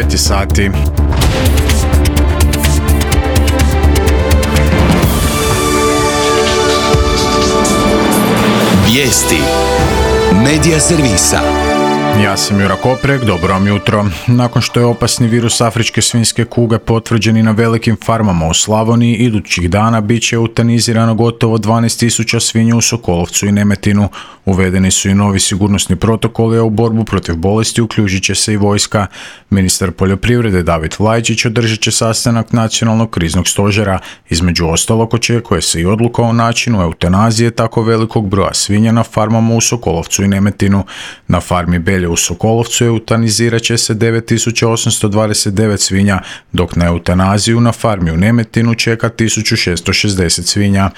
9 sati. Vijesti Medija servisa. Ja sam Jura Koprek, dobro vam jutro. Nakon što je opasni virus afričke svinjske kuge potvrđen i na velikim farmama u Slavoniji, idućih dana bit će eutanizirano gotovo 12.000 svinja u Sokolovcu i Nemetinu. Uvedeni su i novi sigurnosni protokoli, a u borbu protiv bolesti uključit će se i vojska. Ministar poljoprivrede David Vlajčić održat će sastanak nacionalnog kriznog stožera. Između ostalog očekuje se i odluka o načinu eutanazije tako velikog broja svinja na farmama u Sokolovcu i Nemetinu. Na farmi Belje u Sokolovcu eutanizirat će se 9.829 svinja, dok na eutanaziju na farmi u Nemetinu čeka 1.660 svinja.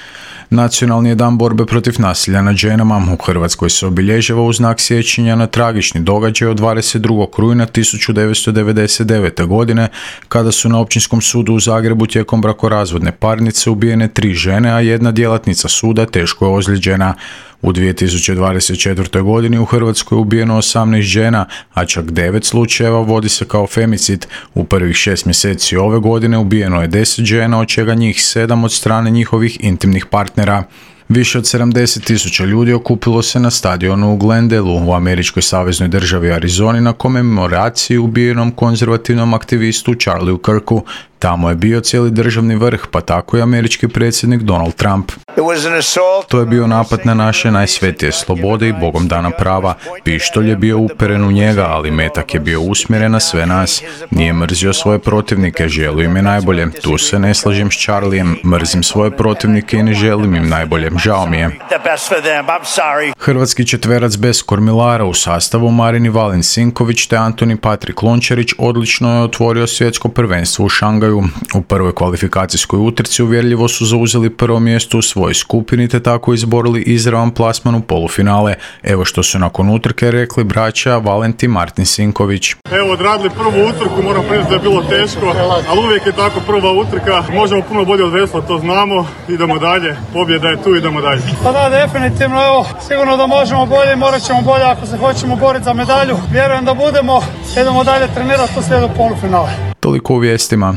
Nacionalni je dan borbe protiv nasilja nad ženama. U Hrvatskoj se obilježava u znak sjećanja na tragični događaj od 22. rujna 1999. godine, kada su na Općinskom sudu u Zagrebu tijekom brakorazvodne parnice ubijene 3 žene, a jedna djelatnica suda teško je ozlijeđena. U 2024. godini u Hrvatskoj je ubijeno 18 žena, a čak 9 slučajeva vodi se kao femicid. U prvih 6 mjeseci ove godine ubijeno je 10 žena, od čega njih 7 od strane njihovih intimnih partnera. Više od 70.000 ljudi okupilo se na stadionu u Glendaleu u američkoj saveznoj državi Arizoni na komemoraciji ubijenom konzervativnom aktivistu Charlieu Kirku. Tamo je bio cijeli državni vrh, pa tako i američki predsjednik Donald Trump. To je bio napad na naše najsvetije slobode i Bogom dana prava. Pištolj je bio uperen u njega, ali metak je bio usmjeren na sve nas. Nije mrzio svoje protivnike, želio im je najbolje. Tu se ne slažem s Charliem, mrzim svoje protivnike i ne želim im najbolje. Žao mi je. Hrvatski četverac bez kormilara u sastavu Marin Valin Sinković te Antoni Patrik Lončarić odlično je otvorio svjetsko prvenstvo u Šangaju. U prvoj kvalifikacijskoj utrci uvjerljivo su zauzeli prvo mjesto u svojoj skupini te tako izborili izravan plasman u polufinale. Evo što su nakon utrke rekli braća Valentin Martin Sinković. Evo, odradili prvu utrku, moram priznati da je bilo teško, ali uvijek je tako prva utrka. Možemo puno bolje od vesla, to znamo. Idemo dalje, pobjeda je tu, idemo dalje. Pa da, definitivno, evo, sigurno da možemo bolje i morat ćemo bolje ako se hoćemo boriti za medalju. Vjerujem da budemo, idemo dalje trenirati, to slijedu polufinale. Toliko u vijestima.